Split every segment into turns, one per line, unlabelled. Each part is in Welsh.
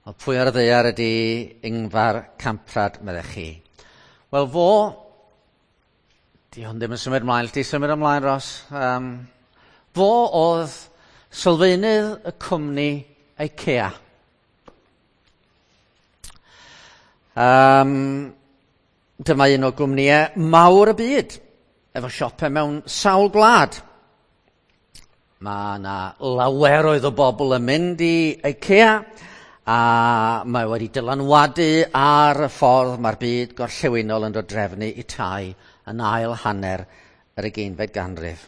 Wel, pwy ar y ddaear ydy Ingvar Kamprad, meddech chi? Wel, fo... Di hwn ddim yn symud ymlaen, di symud ymlaen, Ros. Fo oedd sylfaenydd y cwmni IKEA. Dyma un o gwmnïau mawr y byd, efo siopau mewn sawl gwlad. Mae yna laweroedd o bobl yn mynd i IKEA, a mae wedi dylanwadu ar y ffordd mae'r byd gorllewinol yn dod drefnu i tai yn ail hanner yr ugeinfed ganrif.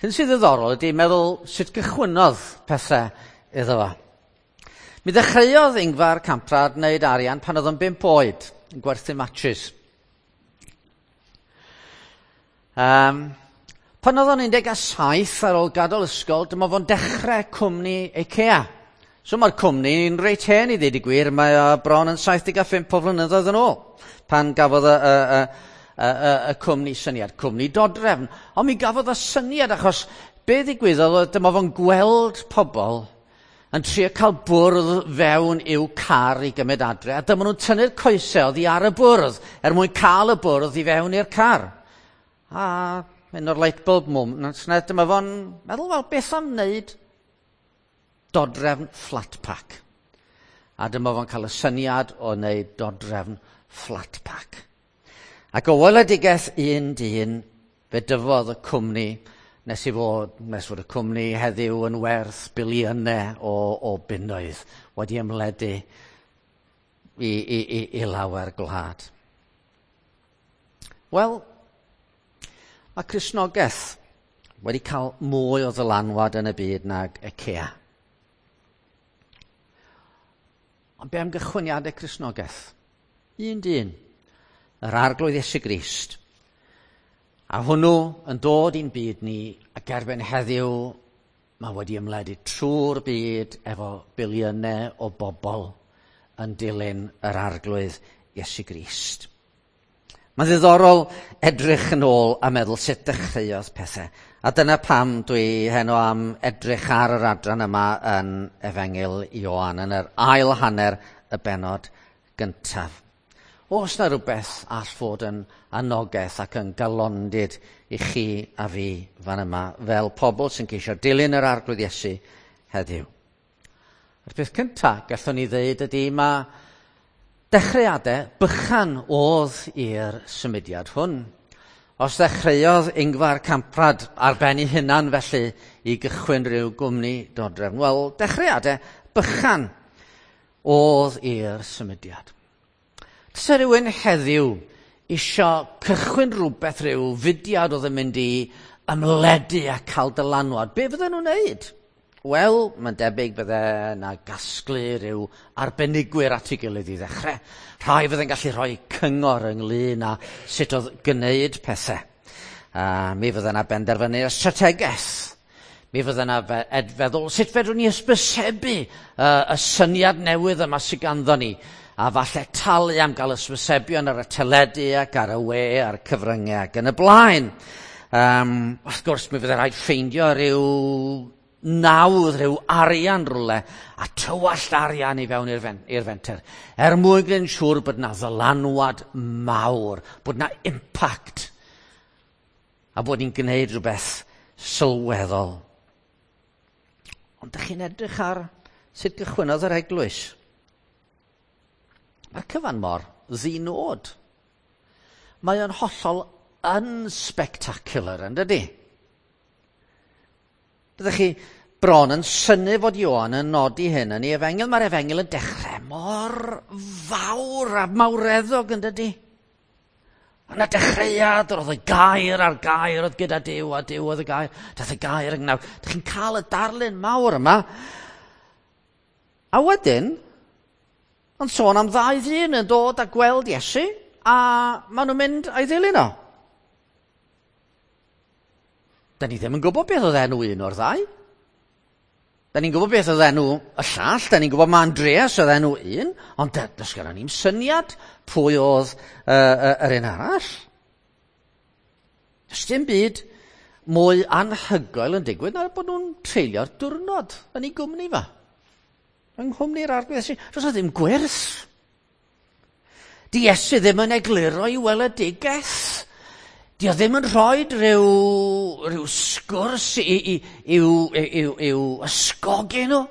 Hyn sydd ddiddorol ydy meddwl sut gychwynnodd pethau iddo fo. Mi ddechreuodd Ingvar Kamprad wneud arian pan oedd o'n 5 oed, yn gwerthu matches. Pan oedd o'n 17 ar ôl gadael ysgol, dyma fo'n dechrau cwmni IKEA. So mae'r cwmni'n reit hen i ddweud y gwir, mae o bron yn 75 o flynyddoedd yn ôl pan gafodd y cwmni syniad, cwmni dodrefn. Ond mi gafodd y syniad achos be ddigwyddodd oedd dyma fo'n gweld pobl yn trio cael bwrdd fewn i'w car i gymryd adre, a dyma nhw'n tynnu'r coesau oddi ar y bwrdd er mwyn cael y bwrdd i fewn i'r car. A un o'r light bulb moments, dyma fo'n meddwl, wel, beth am wneud dodrefn flat pack? A dyma fo'n cael y syniad o wneud dodrefn flat pack. Ac o weledigaeth un dyn, fe dyfodd y cwmni nes fod y cwmni heddiw yn werth biliynau o bunnoedd wedi ymledu i lawer gwlad. Wel, mae Cristnogaeth wedi cael mwy o ddylanwad yn y byd nag IKEA. Ond be am gychwyniadau Cristnogaeth? Un dyn, yr Arglwydd Iesu Grist. A hwnnw yn dod i'n byd ni, ac erbyn heddiw mae wedi ymledu trwy'r byd efo biliynau o bobl yn dilyn yr Arglwydd Iesu Grist. Mae'n ddiddorol edrych yn ôl a meddwl sut dechreuodd pethau. A dyna pam dwi heno am edrych ar yr adran yma yn Efengyl Ioan, yn yr ail hanner y bennod gyntaf. Oes na rhywbeth all fod yn anogaeth ac yn galondid i chi a fi fan yma, fel pobl sy'n ceisio dilyn yr Arglwydd Iesu heddiw? A'r peth cyntaf gallwn ni ddeud ydy mae dechreuadau bychan oedd i'r symudiad hwn. Os ddechreuodd Ingvar Kamprad ar ben ei hunan felly i gychwyn rhyw gwmni dodrefn, wel, dechreuadau bychan oedd i'r symudiad. Tase rhywun heddiw isio cychwyn rhywbeth, rhyw fudiad oedd yn mynd i ymledu a cael dylanwad, be fydden nhw'n wneud? Wel, mae'n debyg bydde yna gasglu rhyw arbenigwyr at ei gilydd i ddechrau. Rhai fydde'n gallu rhoi cyngor ynglyn â sut oedd gwneud pethau. Mi fydde yna benderfynu y strategaeth. Mi fydde yna feddwl sut fedrwn ni hysbysebu y syniad newydd yma sydd ganddo ni. A falle talu am gael hysbysebion ar y teledu ac ar y we a'r cyfryngau ac yn y blaen. Wrth gwrs, mi fydde rhaid ffeindio rhyw nawdd, rhyw arian rhywle, a tywallt arian i fewn i'r fenter, er mwyn gwneud yn siŵr bod na ddylanwad mawr, bod na impact, a bod ni'n gwneud rhywbeth sylweddol. Ond dych chi'n edrych ar sut gychwynnodd yr eglwys. Mae'r cyfan mor ddinod. Mae o'n hollol unspectacular, yn dydi? Byddech chi bron yn synnu fod Ioan yn nodi hyn yn ei efengyl. Mae'r efengyl yn dechrau mor fawr a mawreddog, yn dydi? Yna dechreuad, roedd y gair a'r gair oedd gyda Duw, a Duw oedd y gair. Daeth y gair yng nghnawd. Dych chi'n cael y darlun mawr yma. A wedyn, ond sôn am ddau ddyn yn dod a gweld Iesu, a maen nhw'n mynd a'i ddilyn o. Da ni ddim yn gwybod beth oedd enw un o'r ddau. Da ni'n gwybod beth oedd enw y llall, da ni'n gwybod ma Andreas oedd enw un, ond does gynnon ni'm syniad pwy oedd yr un arall. Does dim byd mwy anhygoel yn digwydd na bod nhw'n treulio'r diwrnod yn ei gwmni fa. Yng nghwmni'r Arglwydd Iesu, does 'na ddim gwyrth. Di Iesu ddim yn egluro i weledigaeth. Di o ddim yn rhoi rhyw sgwrs i'w ysgogi nhw.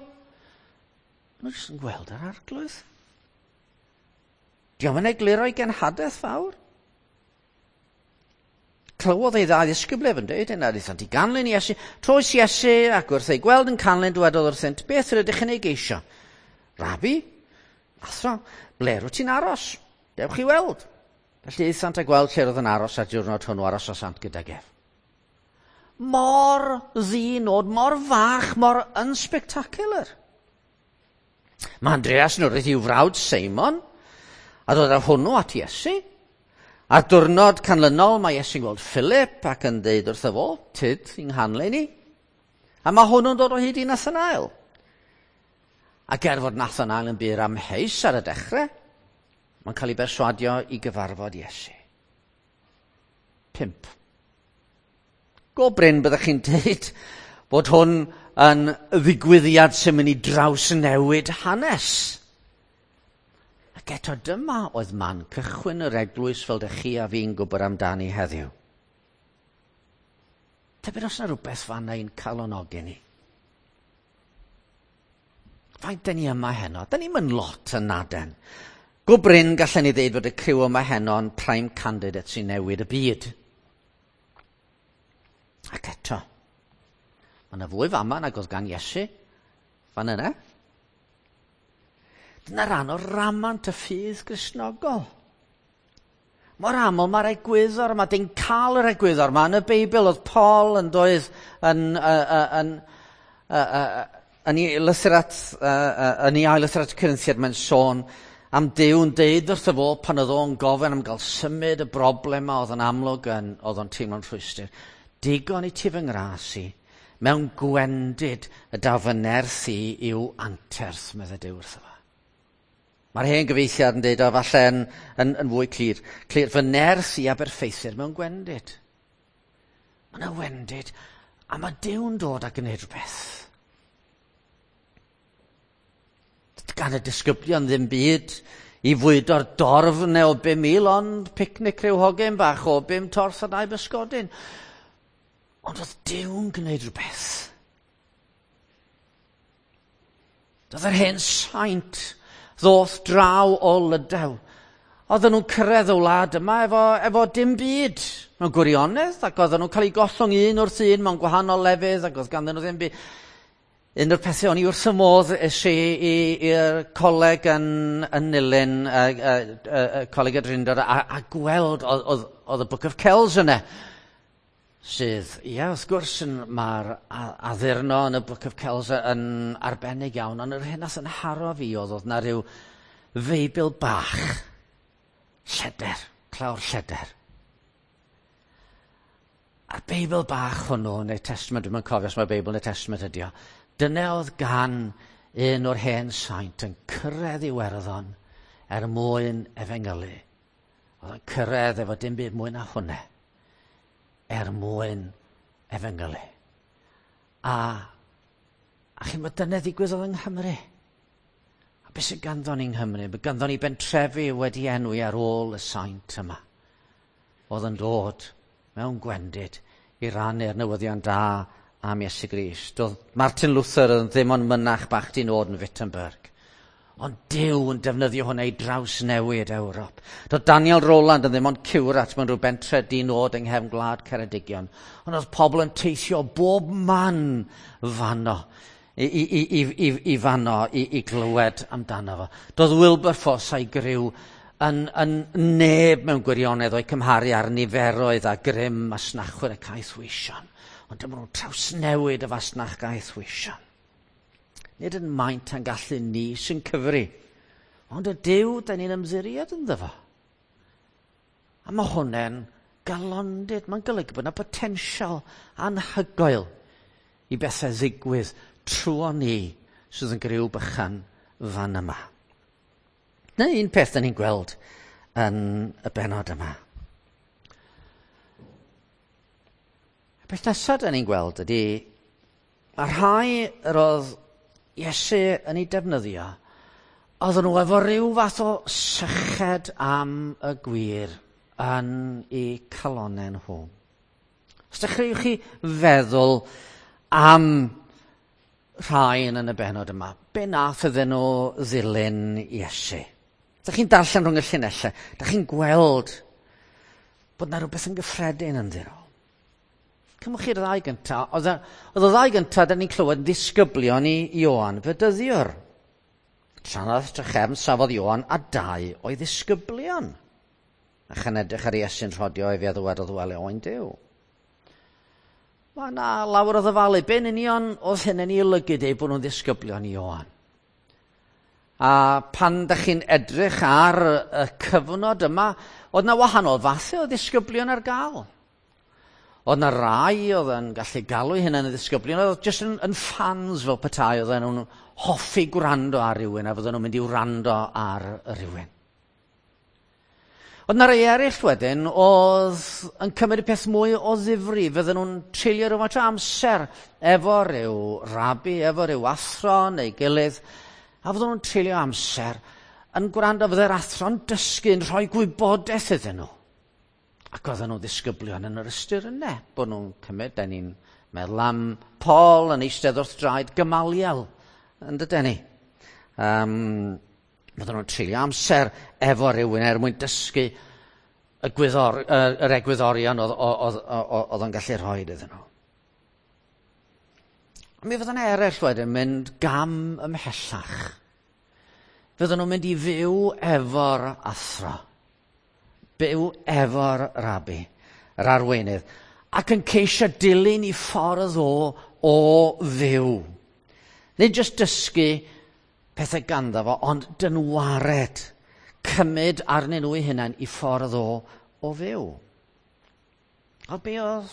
Maen nhw jyst yn gweld yr Arglwydd. Di o'm yn egluro i genhadaeth fawr. Clywodd ei ddau ddisgybl ef yn dweud hyn, a aethant i ganlyn Iesu. Troes Iesu ac wrth ei gweld yn canlyn, dywedodd wrthynt, beth rydych yn ei geisio? Rabi, athro, ble rwyt ti'n aros? Dewch i weld. Felly aethant a gweld lle roedd yn aros, a diwrnod hwnnw arosasant gydag ef. Mor ddinod, mor fach, mor unspectacular. Mae Andreas yn wrth i'w frawd Seimon, a dod â hwnnw at Iesu. A'r diwrnod canlynol mae Iesu'n gweld Philip ac yn deud wrtho fo, tyd i'n nghanlyn i. A mae hwnnw'n dod o hyd i Nathanael. Ac er fod Nathanael yn bur amheus ar y dechrau, mae'n cael ei berswadio i gyfarfod Iesu. 5. Go brin byddech chi'n deud bod hwn yn ddigwyddiad sy'n mynd i drawsnewid hanes. Ac eto dyma oedd man cychwyn yr eglwys fel dych chi a fi'n gwybod amdani heddiw. Tybed os yna rhywbeth fanna i'n calonogi ni. Faint dyn ni yma heno? Dyn ni'm yn lot yn naden. Go brin gallen ni ddeud fod y criw yma heno yn prime candidate sy'n newid y byd. Ac eto, mae yna fwy fama nag oedd gan Iesu fan yna. Dyna rhan o ramant y ffydd Gristnogol. Mor aml mae'r egwyddor yma, dyn cael yr egwyddor yma yn y Beibl, oedd Paul yn doedd yn ei lythyr at, yn ei ail lythyr at Corinthiaid, mae'n sôn am Duw yn deud wrtho fo pan oedd o'n gofyn am gael symud y broblem yma oedd yn amlwg yn, oedd o'n teimlo'n rhwystr. Digon i ti fy ngras i, mewn gwendid y daw fy nerth i i'w anterth, meddai Duw wrtho fo. Mae'r hen gyfeithiad yn deud o falle yn fwy clir. Clir, fy nerth i aberffeithir mewn gwendid. Mae yna wendid, a mae Duw'n dod a gwneud rhywbeth. Gan y disgyblion ddim byd i fwydo'r dorf neu o 5,000, ond picnic rhyw hogyn bach o 5 torth a 2 bysgodyn. Ond oedd Duw'n gwneud rhywbeth. Doedd yr hen saint ddoth draw o Lydaw. Oedden nhw'n cyrraedd y wlad yma efo dim byd mewn gwirionedd, ac oedden nhw'n cael eu gollwng un wrth un mewn gwahanol lefydd, ac oedd ganddyn nhw ddim byd. Un o'r pethau o'n i wrth y modd es i i'r coleg yn Nulyn, Coleg y Drindod, a gweld oedd y Book of Kells yna. Sydd, ie, wrth gwrs, mae'r addurno yn y Book of Kells yn arbennig iawn, ond yr hyn nath yn haro fi oedd na rhyw Feibl bach, lleder, clawr lleder. A'r Beibl bach hwnnw, neu Testament, dwi'm yn cofio os mae Beibl neu Testament ydi o, dyna oedd gan un o'r hen saint yn cyrraedd Iwerddon er mwyn efengylu. Oedd yn cyrraedd efo dim byd mwy na hwnna, er mwyn efengylu. A chi'n bod dyna ddigwyddodd yng Nghymru. A beth sydd ganddo ni yng Nghymru? Mae ganddo ni bentrefi wedi enwi ar ôl y saint yma. Oedd yn dod mewn gwendid i rannu'r newyddion da am Iesu Grist. Doedd Martin Luther yn ddim ond mynach bach di nod yn Wittenberg. Ond Duw yn defnyddio hwnna i drawsnewid Ewrop. Doedd Daniel Rowland yn ddim ond ciwrat mewn rhyw bentre di nod yng nghefn gwlad Ceredigion. Ond oedd pobl yn teithio bob man fanno, i fanno, i glywed amdano fo. Doedd Wilberforce a'i griw yn neb mewn gwirionedd o'i cymharu ar niferoedd a grym masnachwyr y caethweision. Ond dyma nhw'n trawsnewid y fasnach gaethweision. Nid yn maint a'n gallu ni sy'n cyfri, ond y Duw da ni'n ymddiried ynddo fo. A mae hwnna'n galondid, mae'n golygu bod yna potensial anhygoel i bethau ddigwydd trwy ni sydd yn griw bychan fan yma. Dyna un peth da ni'n gweld yn y bennod yma. Y peth nesaf da ni'n gweld ydy, mae rhai yr oedd Iesu yn ei defnyddio, oedden nhw efo ryw fath o syched am y gwir yn eu calonnau nhw. Os dechreuwch chi feddwl am rhai yn y bennod yma, be nath iddyn nhw ddilyn Iesu? Dych chi'n darllen rhwng y llinellau, dych chi'n gweld bod yna rhywbeth yn gyffredin ynddyn nhw. Cymwch chi'r ddau gyntaf. Oedd y ddau gyntaf, da ni'n clywed, yn ddisgyblion i Ioan Fedyddiwr. Trannoeth drachefn safodd Ioan a dau o'i ddisgyblion. A chan edrych ar Iesu'n rhodio efe a ddywedodd, wele oen Duw. Mae yna lawer o ddyfalu. Be'n union oedd hyn yn ei olygu deud bod nhw'n ddisgyblion i Ioan? A pan da chi'n edrych ar y cyfnod yma, oedd yna wahanol fathau o ddisgyblion ar gael. Oedd yna rai oedd yn gallu galw eu hunain yn ddisgyblion, oedd jyst yn fans fel petai, oedden nhw'n hoffi gwrando ar rywun a fydden nhw'n mynd i wrando ar rywun. Oedd yna rai eraill wedyn oedd yn cymryd y peth mwy o ddifri, fydden nhw'n treulio rhywfaint o amser efo ryw rabi, efo ryw athro neu gilydd, a fydden nhw'n treulio amser yn gwrando, fydde'r athro'n dysgu, yn rhoi gwybodaeth iddyn nhw. Ac oedden nhw'n ddisgyblion yn yr ystyr yna, bod nhw'n cymryd, da ni'n meddwl am Paul yn eistedd wrth draed Gamaliel, yn dydyn ni. Fydden nhw'n treulio amser efo rhywun er mwyn dysgu yr egwyddorion oedd o'n gallu rhoi iddyn nhw. A mi fydden eraill wedyn mynd gam ymhellach. Fydden nhw'n mynd i fyw efo'r athro, byw efo'r rabi, yr arweinydd, ac yn ceisio dilyn i ffordd o fyw. Nid jyst dysgu pethau ganddo fo, ond dynwared, cymryd arnyn nhw eu hunain i ffordd o fyw. O be oedd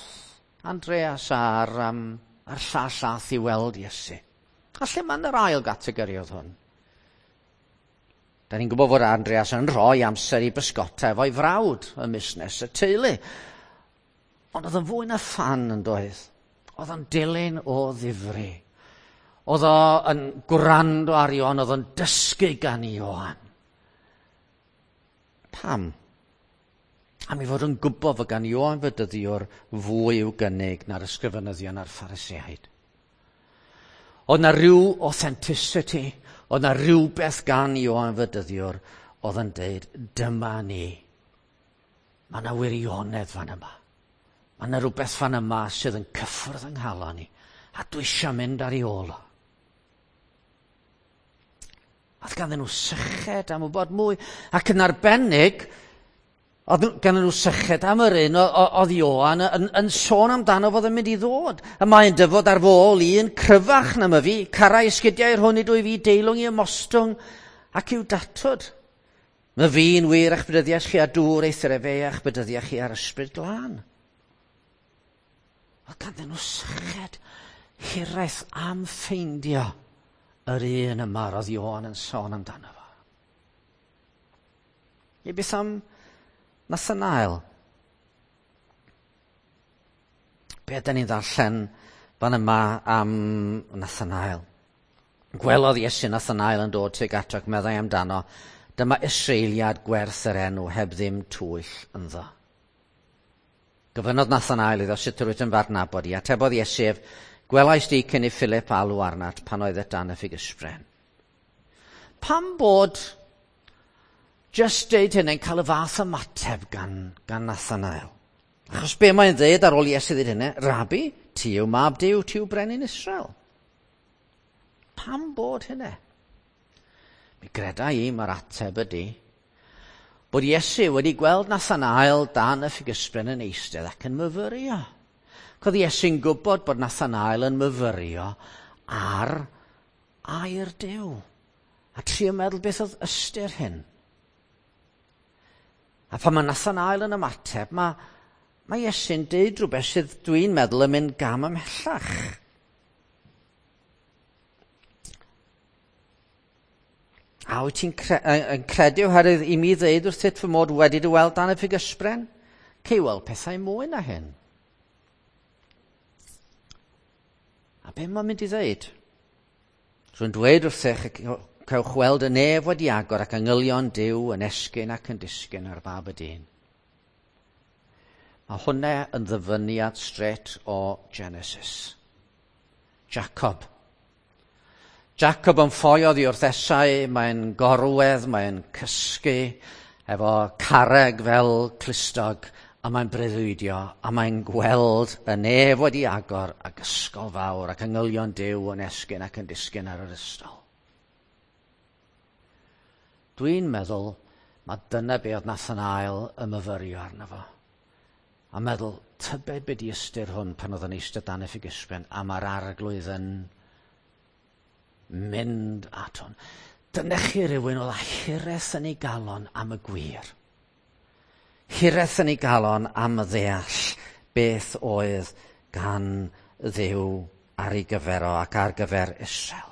Andreas a'r llall ath i weld Iesu? A lle mae'n yr ail gategori oedd hwn? Da ni'n gwybod fod Andreas yn rhoi amser i bysgota efo'i frawd ym musnes y teulu. Ond oedd yn fwy na ffan yn doedd. Oedd o'n dilyn o ddifri. Oedd o'n gwrando ar Ioan, oedd o'n dysgu gan Ioan. Pam? Am ei fod yn gwybod fod gan Ioan Fedyddiwr fwy i'w gynnig na'r ysgrifenyddion a'r Phariseaid. Oedd na rhyw authenticity, oedd na rhywbeth gan Ioan Fedyddiwr oedd yn deud, dyma ni. Mae yna wirionedd fan yma. Mae yna rhywbeth fan yma sydd yn cyffwrdd yng nghalon ni, a dwi eisiau mynd ar ei ôl o. Oedd ganddyn nhw syched am wybod mwy, ac yn arbennig, oedd ganddyn nhw syched am yr un oedd Ioan yn sôn amdano fod yn mynd i ddod. Y mae'n dyfod ar fy ôl un cryfach na myfi, carau esgidiau'r hwn i dwy fi, deilwng i ymostwng ac i'w datod. My fi'n wir a'ch bedyddiais chi a dŵr eithr efe a'ch bedyddiais chi ar ysbryd glân. Oedd ganddyn nhw syched hiraeth am ffeindio yr un yma roedd Ioan yn sôn amdano fo. I beth am Nathanael? Be ydyn ni'n ddarllen fan yma am Nathanael? Gwelodd Iesu Nathanael yn dod tuag ato ac meddai amdano, dyma Israeliad gwerth yr enw heb ddim twyll ynddo. Gofynnodd Nathanael iddo sut yr wyt yn f'adnabod i. Atebodd Iesu ef, gwelais di cyn i Philip alw arnat pan oedd dan y ffigysbren. Pam bod just deud hynny'n cael y fath ymateb gan Nathanael? Achos be mae'n dweud ar ôl Iesu ddweud hynny? Rabi, ti yw mab Duw, ti yw brenin Israel. Pam bod hynny? Mi greda i mae'r ateb ydy bod Iesu wedi gweld Nathanael dan y ffigysbren yn eistedd ac yn myfyrio. Coedd Iesu'n gwybod bod Nathanael yn myfyrio ar air Duw. A trio meddwl beth oedd ystyr hyn. A pan mae Nathanael yn ymateb, mae Iesu'n deud rhywbeth sydd dwi'n meddwl yn mynd gam ymhellach. A wyt ti'n yn credu oherwydd i mi ddeud wrthyt fy mod wedi dy weld dan y ffigysbren? Cei weld pethau mwy na hyn. A be mae'n mynd i ddeud? Rwy'n dweud wrthych y cewch weld y nef wedi agor ac angylion Duw yn esgyn ac yn disgyn ar fab y dyn. Mae hwnna yn ddyfyniad straight o Genesis. Jacob. Jacob yn ffoi oddi wrth Esau, mae'n gorwedd, mae'n cysgu efo carreg fel clustog, a mae'n breuddwydio, a mae'n gweld y nef wedi agor ac ysgol fawr ac angylion Duw yn esgyn ac yn disgyn ar yr ystol. Dwi'n meddwl mae dyna be oedd Nathanael yn myfyrio arno fo. A meddwl, tybed be di ystyr hwn pan oedd yn eistedd dan y ffigysben, a mae'r arglwydd yn mynd at hwn. Dyna chi rywun oedd â hiraeth yn ei galon am y gwir. Hiraeth yn ei galon am ddeall beth oedd gan Dduw ar ei gyfer o ac ar gyfer Israel.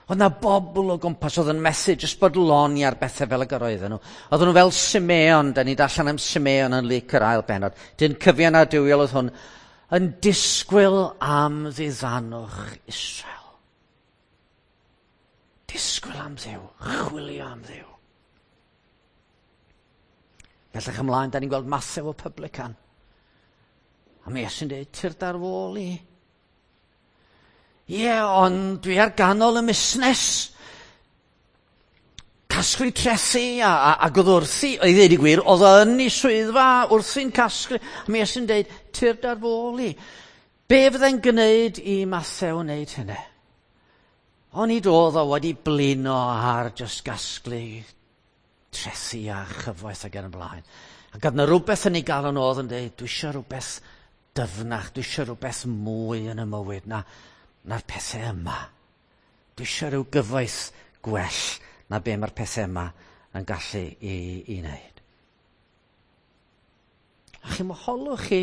Oedd 'na bobl o gwmpas oedd yn methu jyst bodloni ar bethau fel y gyroedden nhw. Oedden nhw fel Simeon, da ni darllen am Simeon yn Luc yr ail bennod. Dyn cyfiawn a duwiol oedd hwn, yn disgwyl am ddiddanwch Israel. Disgwyl am Dduw, chwilio am Dduw. Bellach ymlaen, da ni'n gweld Mathew o publican. A mae Iesu'n dweud, tyrd ar f'ôl i. Ie, ond dwi ar ganol y musnes. Casglu trethi ac oedd wrthi, i ddweud y gwir, oedd o yn ei swyddfa wrthi'n casglu. A mae Iesu'n dweud, tyrd ar f'ôl i. Be fyddai'n gwneud i Mathew wneud hynny? Onid oedd o wedi blino ar jyst gasglu trethi a chyfoeth ac yn y blaen. Ac oedd yna rhywbeth yn ei galon oedd yn dweud, dwi eisiau rhywbeth dyfnach, dwi eisiau rhywbeth mwy yn y mywyd na'r pethau yma. Dwi eisiau rhyw gyfoeth gwell na be mae'r pethau yma yn gallu i wneud. A chi moholwch chi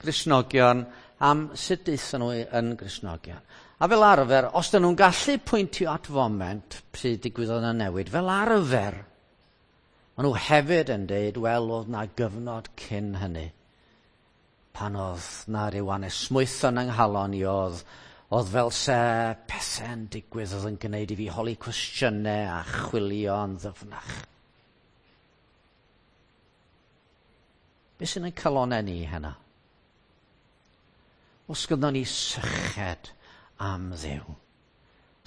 Gristnogion am sut daethon nhw yn Gristnogion. A fel arfer, os dyn nhw'n gallu pwyntio at foment pryd digwyddodd yna newid, fel arfer, maen nhw hefyd yn deud, wel, oedd na gyfnod cyn hynny, pan oedd na ryw anesmwython yng nghalon i oedd fel se pethau'n digwydd oedd yn gwneud i fi holi cwestiynau a chwilio yn ddyfnach. Be sy'n ein calonau ni heno? Os gynnon ni syched am Dduw,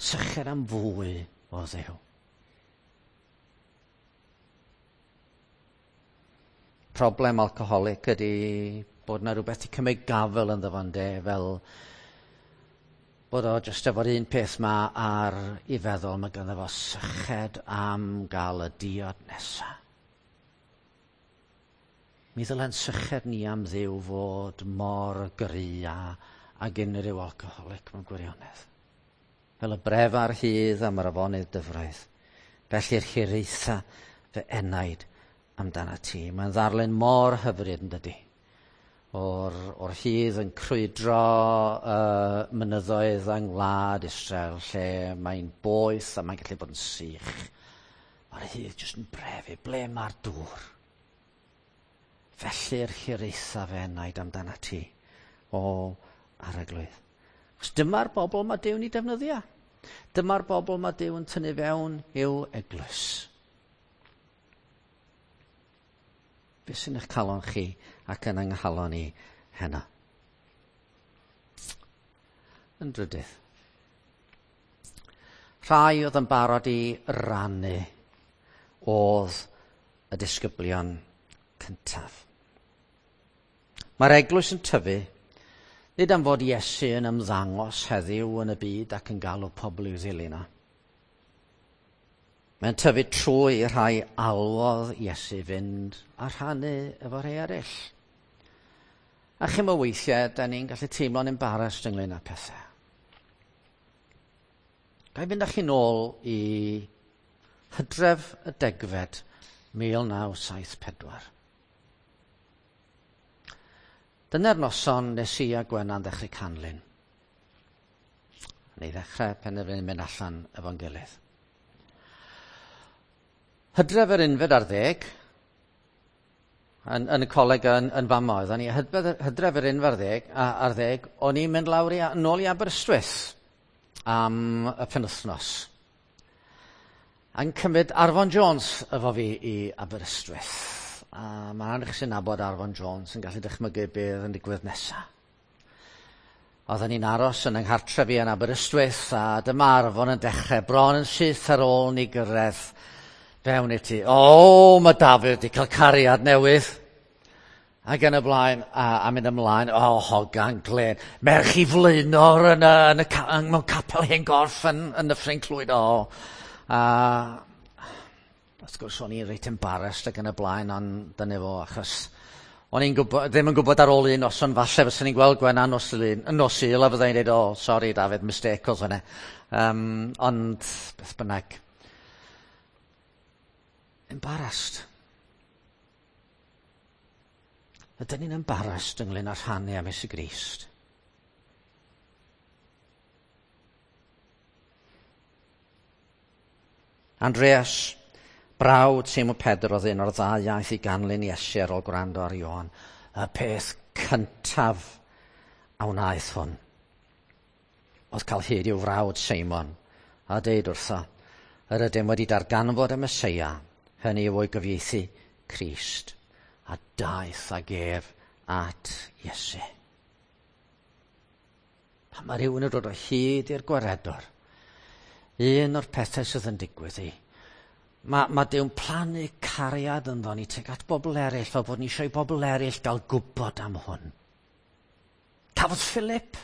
syched am fwy o Dduw. Problem alcoholic ydy bod na rhywbeth i cymryd gafel ynddo fo, ynde, fel bod o jyst efo'r un peth ma ar ei feddwl, mae ganddo fo syched am gael y diod nesa. Mi ddylen syched ni am Dduw fod mor gry ag unrhyw alcoholic mewn gwirionedd. Fel y bref ar hydd am yr afonydd dyfroedd. Felly'r hiraetha fy enaid amdana ti. Mae'n ddarlun mor hyfryd yn dydi. O'r hydd yn crwydro mynyddoedd yng ngwlad Israel lle mae'n boeth a mae'n gallu bod yn sych. Mae'r hydd jyst yn brefu. Ble mae'r dŵr? Felly'r hiraetha fy enaid amdana ti, o Arglwydd. Achos dyma'r bobl mae Duw'n ei defnyddio. Dyma'r bobl mae Duw yn tynnu fewn i'w eglwys. Be sy'n eich calon chi ac yn yng nghalon i heno? Yn drydydd, rhai oedd yn barod i rannu oedd y disgyblion cyntaf. Mae'r eglwys yn tyfu, nid am fod Iesu yn ymddangos heddiw yn y byd ac yn galw pobl i'w ddilyn o. Mae'n tyfu trwy rhai alwodd Iesu fynd a rhannu efo rhai eraill. A chimo weithiau, da ni'n gallu teimlo'n embarrassed ynglyn â pethau. Ga i fynd â chi nôl i Hydref y 10fed, 1974. Dyna'r noson nes i a Gwenan ddechrau canlyn. Neu ddechrau penderfynu mynd allan efo'n gilydd. Hydref yr 11, yn y coleg yn fama oedden ni, hydref yr 11, o'n i'n mynd lawr nôl i Aberystwyth. am y penwythnos. A'n cymryd Arfon Jones efo fi i Aberystwyth. A mae rhan chi sy'n nabod Arfon Jones yn gallu dychmygu beth yn digwydd nesaf. Oedden ni'n aros yn yng nghartref i yn Aberystwyth a dyma Arfon yn dechrau bron yn syth ar ôl ni gyrraedd fewn i'r tŷ. O, mae Dafydd wedi cael cariad newydd. Ac yn y blaen, a mynd ymlaen, o, hogan glen, merch i flaenor yn y, yn y, yn, mewn capel hen gorff yn, yn Nyffryn Clwyd, o. A, wrth gwrs, o'n i'n reit embarrassed ac yn y blaen, ond dyna fo, achos o'n i'n gwybod, ddim yn gwybod ar ôl un noson, falle fyswn i'n gweld Gwenna nos Lun, nos Sul, a fyddai'n dweud, o, sori Dafydd, mistake oedd hwnna. Ond, beth bynnag. Embarrassed. Ydyn ni'n embarrassed ynglyn â rhannu am Iesu Grist? Andreas, brawd Simon Pedr oedd un o'r ddau iaith i ganlyn Iesu ar ôl gwrando ar Ioan. Y peth cyntaf a wnaeth hwn oedd cael hyd i'w frawd Simon a deud wrtho, yr ydym wedi darganfod y Meseia, hynny yw o'i gyfieithu Crist, a daeth ag ef at Iesu. Pan mae rhywun yn dod o hyd i'r gwaredwr, un o'r pethau sydd yn digwydd i, mae, mae Duw'n plannu cariad ynddo ni tuag at bobl eraill, fel bod ni eisiau i bobl eraill gael gwybod am hwn. Cafodd Philip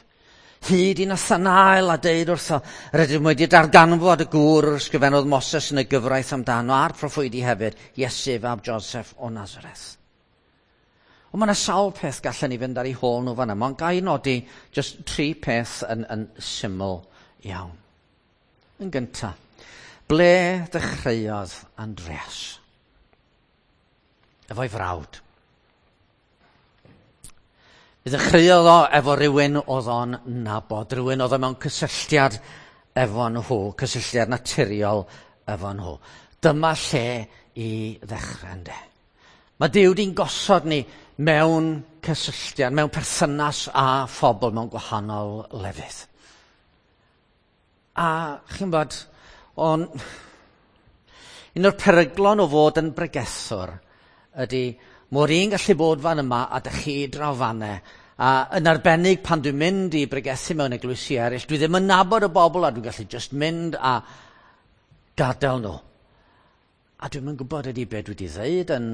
hyd i Nathanael a deud wrtho, rydym wedi darganfod y gŵr yr ysgrifennodd Moses yn y gyfraith amdano a'r proffwydi hefyd, Iesu fab Joseph o Nazareth. Ond mae yna sawl peth gallen ni fynd ar ei hôl nhw fan yma, ond ga i nodi jyst tri peth yn, yn syml iawn. Yn gyntaf, ble ddechreuodd Andreas? Efo'i frawd. Mi ddechreuodd o efo rhywun oedd o'n nabod, rhywun oedd o mewn cysylltiad efo nhw, cysylltiad naturiol efo nhw. Dyma lle i ddechrau, ynde. Mae Duw di'n gosod ni mewn cysylltiad, mewn perthynas â phobl mewn gwahanol lefydd. A chi'n bod, on, un o'r peryglon o fod yn bregethwr ydy mor un gallu bod fan yma a dych chi draw fanne. A yn arbennig pan dwi'n mynd i bregethu mewn eglwysi eraill, dwi ddim yn nabod y bobl a dwi'n gallu just mynd a gadael nhw. A dwi'm yn gwybod ydy be dwi wedi ddeud yn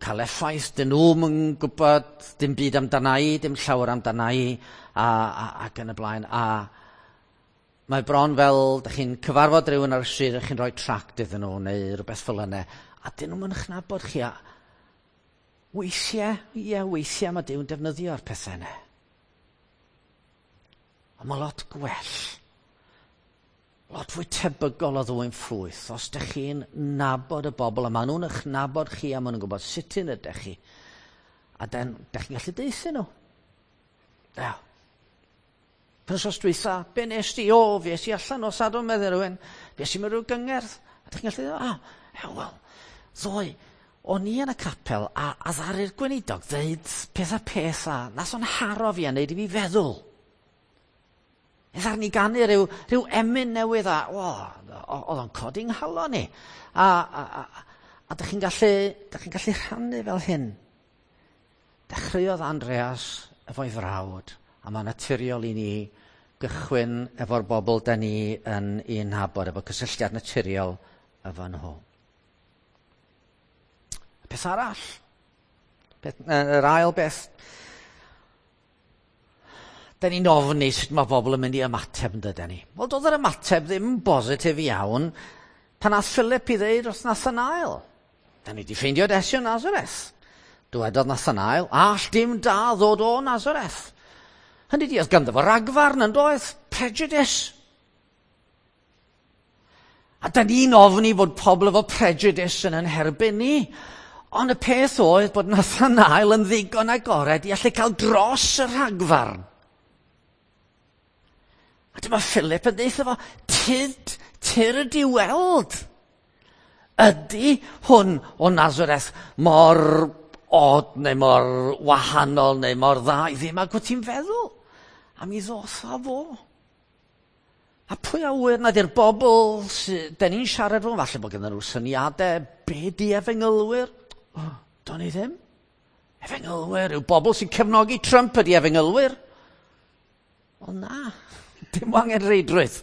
cael effaith, dyn nhw'm yn gwybod dim byd amdana i, dim llawer amdana i, a, a, ac yn y blaen. A mae bron fel, dych chi'n cyfarfod rhywun ar y stryd a chi'n rhoi tract iddyn nhw neu rhywbeth fel yna, a dyn nhw'm yn eich nabod chi. A weithiau, ie, weithiau mae Duw'n defnyddio'r pethau yna. Ond mae lot gwell, lot fwy tebygol o ddwyn ffrwyth os ydych chi'n nabod y bobl a maen nhw'n eich nabod chi a maen nhw'n gwybod sut un ydych chi. A den, ydych chi'n gallu deutha nhw. Ia. Penwythnos dwytha, be nes di? O, fi es i allan o Sadwrn, meddai rhywun. Fi es i mewn rhyw gyngerdd. A ydych chi'n gallu dweud, ah, wel, ddoe, o'n i yn y capel a, a ddaru'r gweinidog ddeud peth a peth a nath o'n haro fi a neud i fi feddwl. E ddaru ni ganu rhyw, rhyw emyn newydd a, o, oedd o'n codi nghalon ni. A, a, a, a dych chi'n gallu, dych chi'n gallu rhannu fel hyn. Dechreuodd Andreas efo'i frawd, a mae naturiol i ni gychwyn efo'r bobl da ni yn un nabod, efo cysylltiad naturiol efo nhw. Y peth arall, peth, yr ail beth, da ni'n ofni sut mae bobl yn mynd i ymateb yn dydyn ni. Wel, doedd yr ymateb ddim yn bositif iawn pan nath Philip i ddeud wrth Nathanael. Da ni wedi ffeindio Iesu o Nazareth. Dywedodd Nathanael, all dim da ddod o Nazareth. Hynny di, oedd ganddo fo ragfarn yn doedd, prejudice. A da ni'n ofni bod pobl efo prejudice yn yn herbyn ni. Ond y peth oedd bod Nathanael yn ddigon agored i allu cael dros y rhagfarn. A dyma Philip yn deutha fo, tyd, tyrd i weld. Ydy hwn o Nazareth mor od neu mor wahanol neu mor dda i ddim ag wyt ti'n feddwl? A mi ddoth a fo. A pwy a ŵyr nad yw'r bobl sydd, den ni'n siarad fo, falle bod gennym nhw syniadau, be di efengylwyr? Oh, do'n i ddim. Efengylwyr yw bobl sy'n cefnogi Trump ydi efengylwyr. O na, dim angen reidrwydd.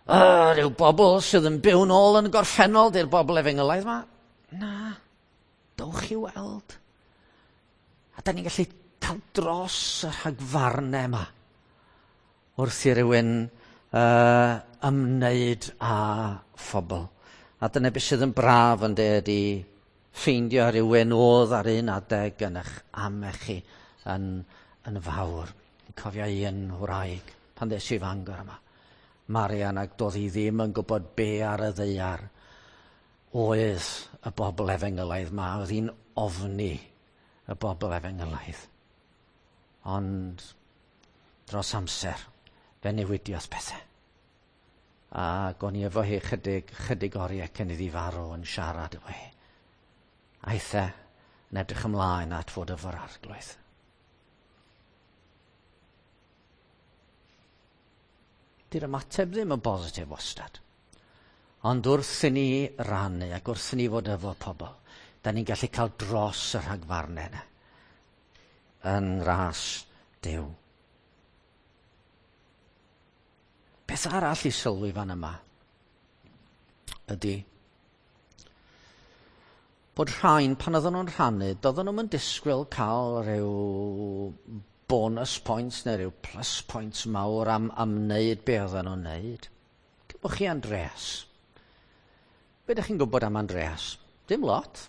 Rhyw bobl sydd yn byw nôl yn y gorffennol, di'r bobl efengylaidd yma. Na, dowch i weld. A da ni'n gallu cael dros y rhagfarnau yma wrth i rywun ymwneud â phobl. A dyna beth sydd yn braf yn dweud i ffeindio rhywun oedd ar un adeg yn eich amau chi yn, yn fawr. Yn cofio un wraig pan ddes i Fangor yma. Marian, ac doedd hi ddim yn gwybod be ar y ddaear oedd y bobl efengylaidd ma. Oedd hi'n ofni y bobl efengylaidd. Ond dros amser, fe newidiodd pethau. Ac o'n i efo hi chydig, chydig oriau cyn iddi farw yn siarad efo hi. Aeth e yn edrych ymlaen at fod efo'r arglwydd. Di'r ymateb ddim yn bositif wastad. Ond wrth i ni rannu ac wrth i ni fod efo pobl, da ni'n gallu cael dros y rhagfarnau yna yn ras Duw. Beth arall i sylwi fan yma ydy bod rhain, pan oedden nhw'n rhannu, doedden nhw'n disgwyl cael rhyw bonus points neu rhyw plus points mawr am, am wneud be oedden nhw'n wneud. Cymwch chi Andreas. Be ydych chi'n gwybod am Andreas? Dim lot.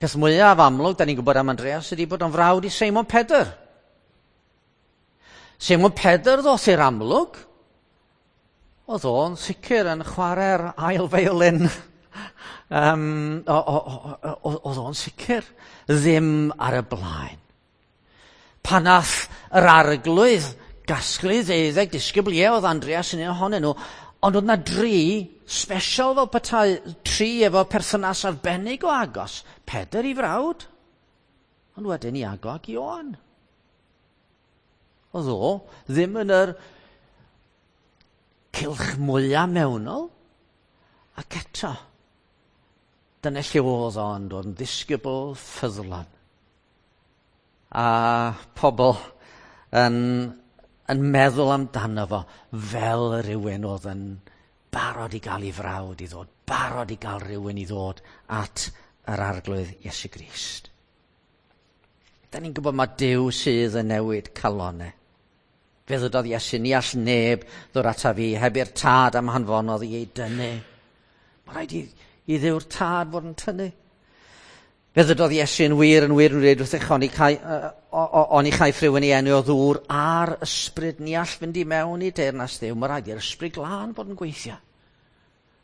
Peth mwyaf amlwg da ni'n gwybod am Andreas ydy bod o'n frawd i Seimon Pedr. Seimon Pedr ddoth i'r amlwg. Oedd o'n sicr yn chwarae'r ail violin. Oedd o'n sicr ddim ar y blaen. Pan nath yr arglwydd gasglu 12 disgybl, ie, oedd Andreas yn un ohonyn nhw, ond oedd na dri special fel petai, tri efo perthynas arbennig o agos. Pedr i frawd, ond wedyn Iago ac Ioan. Oedd o ddim yn yr cylch mwyaf mewnol, ac eto, dyna lle oedd o'n dod yn ddisgybl ffyddlon. A pobl yn, yn meddwl amdano fo fel rhywun oedd yn barod i gael ei frawd i ddod, barod i gael rhywun i ddod at yr arglwydd Iesu Grist. Da ni'n gwybod mae Duw sydd yn newid calonau. Fe ddydodd Iesu, ni all neb ddod ata fi heb i'r tad am hanfonodd i ei dynnu. Mae rhaid i, i Dduw'r tad fod yn tynnu. Fe ddydodd Iesu yn wir yn wir yn dweud wrthych, oni, cai, oni chaiff rhywun ei enw o ddŵr a'r ysbryd, ni all fynd i mewn i deyrnas Dduw. Mae rhaid i'r ysbryd glân fod yn gweithio.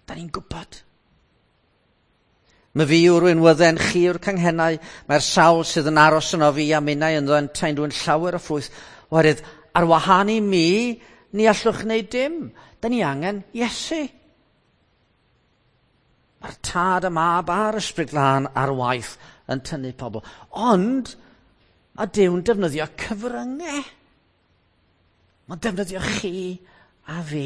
Da ni'n gwybod. Mae fi yw'r winwydden, chi yw'r canghennau, mae'r sawl sydd yn aros yno fi a minnau ynddo yn taen llawer o ffrwyth. Oherwydd, ar wahân i mi, ni allwch wneud dim. Da ni angen Iesu. Mae'r tad, y mab a'r ysbryd glân ar waith yn tynnu pobl. Ond mae Duw'n defnyddio cyfryngau. Mae'n defnyddio chi a fi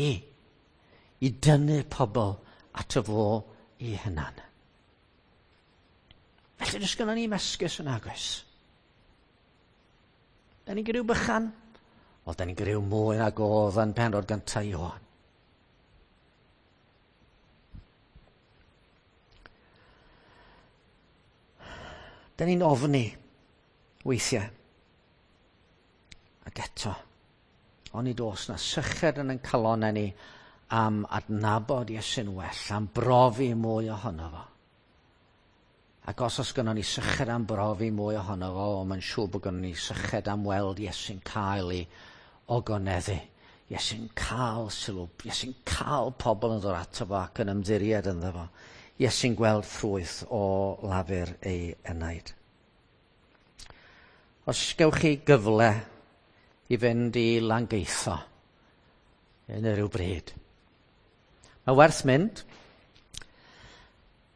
i dynnu pobl ato fo i hunan. Felly does gynnon ni esgus yn agos. Da ni'n griw bychan? Wel, da ni'n griw mwy nag oedd yn penod gyntaf Ioan. Da ni'n ofni weithiau. Ac eto, onid oes na syched yn ein calonnau ni am adnabod Iesu'n well, am brofi mwy ohono fo. Ac os oes gynnon ni syched am brofi mwy ohono fo, mae'n siŵr bod gynnon ni syched am weld Iesu'n cael ei ogoneddu. Iesu'n cael sylw, Iesu'n cael pobl yn dod ato fo ac yn ymddiried ynddo fo. Iesu'n gweld ffrwyth o lafur ei enaid. Os gewch chi gyfle i fynd i Langeitho yn yr ryw bryd, mae werth mynd.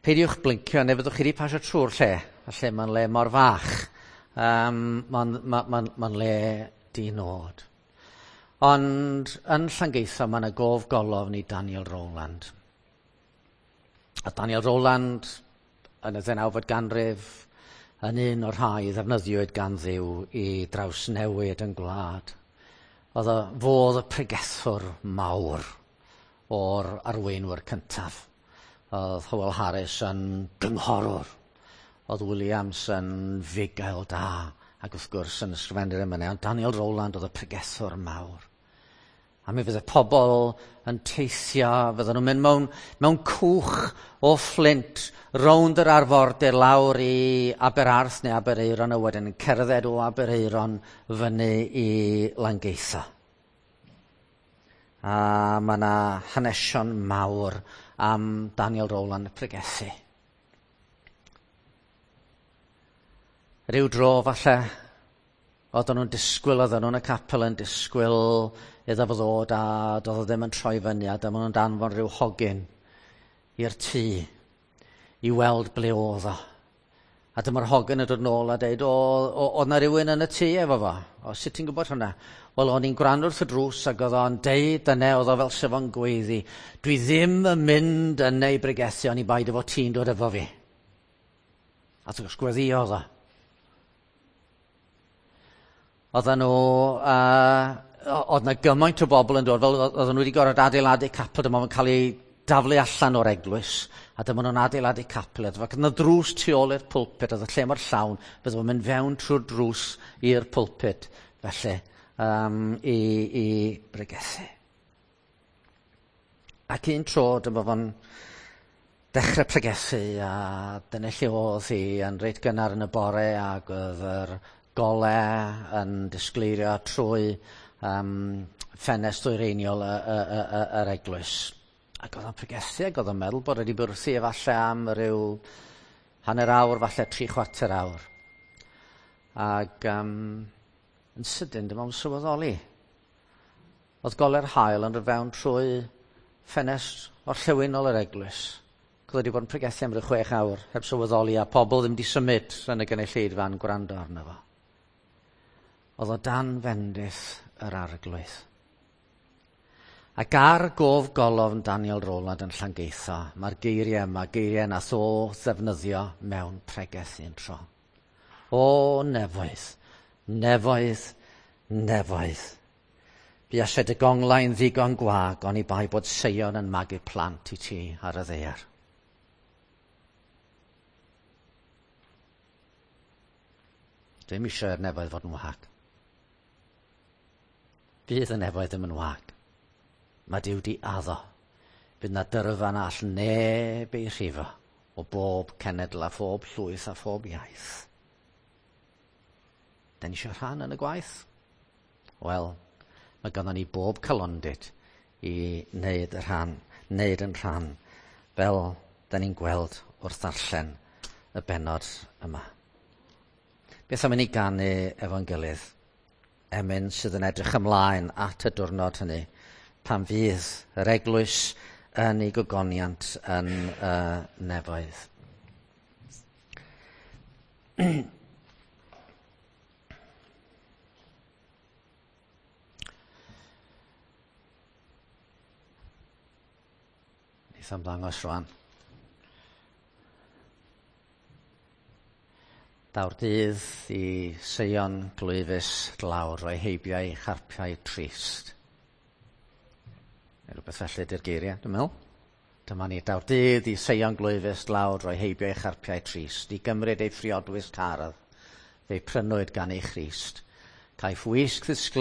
Peidiwch blincio, neu fyddwch chi wedi pasio trwy'r lle. Falle mae'n le mor fach. Mae'n ma, ma, ma le di nod. Ond yn Llangeitho mae yna gof golofn i Daniel Rowland. A Daniel Rowland yn y ddeunawfed ganrif yn un o'r rhai ddefnyddiwyd gan Dduw i drawsnewid yn gwlad. Oedd o fodd y pregethwr mawr o'r arweinwyr cyntaf. Oedd Howell Harris yn gynghorwr. Oedd Williams yn fugail da ac wrth gwrs yn ysgrifennu'r emynau. Ond Daniel Rowland oedd y pregethwr mawr. A mi fydde pobl yn teithio, fydden nhw'n mynd mewn, mewn cwch o Fflint rownd yr arfordir lawr i Aberarth neu Aberaeron a wedyn yn cerdded o Aberaeron fyny i Langeitho. A mae yna hanesion mawr am Daniel Rowland y pregethu. Rhyw dro falle, oedden nhw'n disgwyl, oedden nhw'n y capel yn disgwyl iddo fo ddod a doedd o ddim yn troi fyny a dyma nhw'n danfon rhyw hogyn i'r tŷ i weld ble oedd o. A dyma'r hogyn yn dod nôl a deud, o, oedd na rhywun yn y tŷ efo fo. O, sut ti'n gwybod hwnna? Wel, o'n i'n gwrando wrth y drws ac oedd o'n deud yna, oedd o fel sef o'n gweiddi, dwi ddim yn mynd yna i bregethu, oni bai dy fod ti'n dod efo fi. A wrth gwrs gweddïodd o. Oedden nhw, oedd na gymaint o bobl yn dod, fel oedden nhw wedi gorfod adeiladu capel, dyma fo'n cael ei daflu allan o'r eglwys, a dyma nhw'n adeiladu capel. Ac oedd yna drws tu ôl i'r pulpit, oedd y lle mor llawn, bydde fo'n mynd fewn trwy'r drws i'r pulpit, felly, i bregethu. Ac un tro, dyma fo'n dechrau pregethu, a dyna lle oedd hi yn reit gynnar yn y bore, ac oedd yr gole yn disgleirio trwy ffenest ddwyreiniol yr eglwys. Ac oedd o'n pregethu ac oedd o'n meddwl bod wedi bod wrthi efallai am ryw hanner awr, falle 3/4 awr. Ac yn sydyn dyma o'n sylweddoli. Oedd gole'r haul yn dod fewn trwy ffenest orllewinol yr eglwys. Oedd wedi bod yn pregethu am ryw 6 awr, heb sylweddoli, a pobl ddim wedi symud yn y gynulleidfa yn gwrando arno fo. Oedd o dan fendith yr arglwydd. Ac ar gof golofn Daniel Rowland yn Llangeitho, mae'r geiriau yma, geiriau nath o ddefnyddio mewn pregeth un tro. O nefoedd, nefoedd, nefoedd. Buasai dy gonglau'n ddigon gwag, oni bai bod Seion yn magu plant i ti ar y ddaear. Dwi'm eisiau i'r nefoedd fod yn wag. Bydd y nefoedd ddim yn wag. Mae Duw di addo. Bydd na dyrfa na all neb ei rhifo o bob cenedl a phob llwyth a phob iaith. Da ni eisiau rhan yn y gwaith? Wel, mae ganddo ni bob calondid i wneud y rhan, wneud yn rhan, fel da ni'n gweld wrth ddarllen y bennod yma. Beth am i ni ganu efo'n gilydd? Emyn sydd yn edrych ymlaen at y diwrnod hynny, pan fydd yr eglwys yn ei gogoniant yn y nefoedd. Neith o'm ddangos rwan. Daw'r dydd i Seion glwyfus dlawd roi heibio ei charpiau trist. Neu rhywbeth felly ydy'r geiriau, dwi'n meddwl. Dyma ni, daw'r dydd i Seion glwyfus dlawd roi heibio ei charpiau trist, i gymryd ei phriodwys cardd, fe'i prynwyd gan ei Christ. Caiff wisg ddisglair